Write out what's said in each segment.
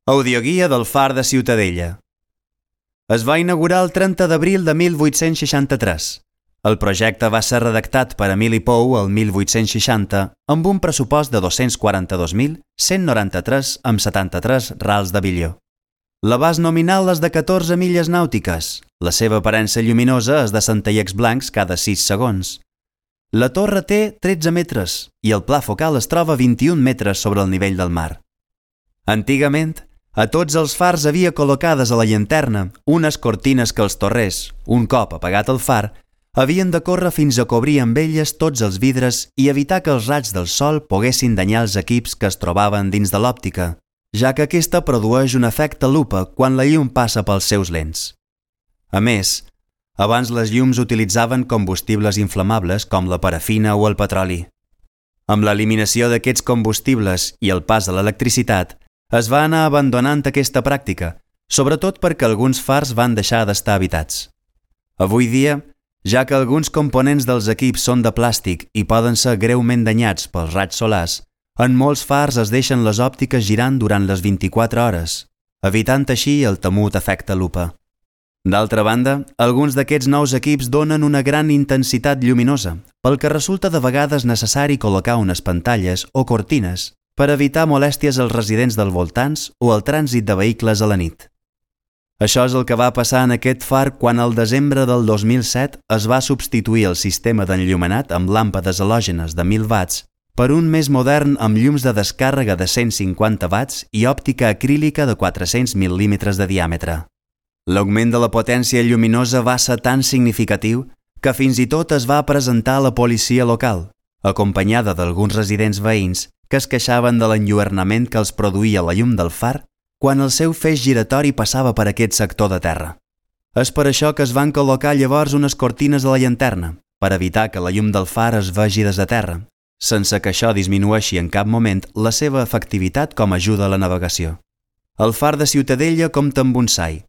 Audioguia del Far de Ciutadella. Es va inaugurar el 30 d'abril de 1863. El projecte va ser redactat per Emili Pou el 1860 amb un pressupost de 242.193,73 rals de bilió. L'abast nominal és de 14 milles nàutiques. La seva aparença lluminosa és de centellers blancs cada 6 segons. La torre té 13 metres i el pla focal es troba a 21 metres sobre el nivell del mar. Antigament, a tots els fars havia col·locades a la llanterna unes cortines que els torrers, un cop apagat el far, havien de córrer fins a cobrir amb elles tots els vidres i evitar que els raigs del sol poguessin danyar els equips que es trobaven dins de l'òptica, ja que aquesta produeix un efecte lupa quan la llum passa pels seus lents. A més, abans les llums utilitzaven combustibles inflamables com la parafina o el petroli. Amb l'eliminació d'aquests combustibles i el pas de l'electricitat, es va anar abandonant aquesta pràctica, sobretot perquè alguns fars van deixar d'estar habitats. Avui dia, ja que alguns components dels equips són de plàstic i poden ser greument danyats pels raigs solars, en molts fars es deixen les òptiques girant durant les 24 hores, evitant així el temut efecte lupa. D'altra banda, alguns d'aquests nous equips donen una gran intensitat lluminosa, pel que resulta de vegades necessari col·locar unes pantalles o cortines per evitar molèsties als residents dels voltants o al trànsit de vehicles a la nit. Això és el que va passar en aquest far quan al desembre del 2007 es va substituir el sistema d'enllumenat amb làmpades halògenes de 1.000 watts per un més modern amb llums de descàrrega de 150 watts i òptica acrílica de 400 mil·límetres de diàmetre. L'augment de la potència lluminosa va ser tan significatiu que fins i tot es va presentar a la policia local, acompanyada d'alguns residents veïns que es queixaven de l'enlluernament que els produïa la llum del far quan el seu feix giratori passava per aquest sector de terra. És per això que es van col·locar llavors unes cortines a la llanterna, per evitar que la llum del far es vegi des de terra, sense que això disminueixi en cap moment la seva efectivitat com a ajuda a la navegació. El Far de Ciutadella compta amb un SAI,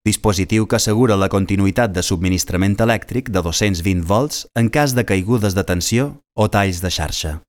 dispositiu que assegura la continuïtat de subministrament elèctric de 220 volts en cas de caigudes de tensió o talls de xarxa.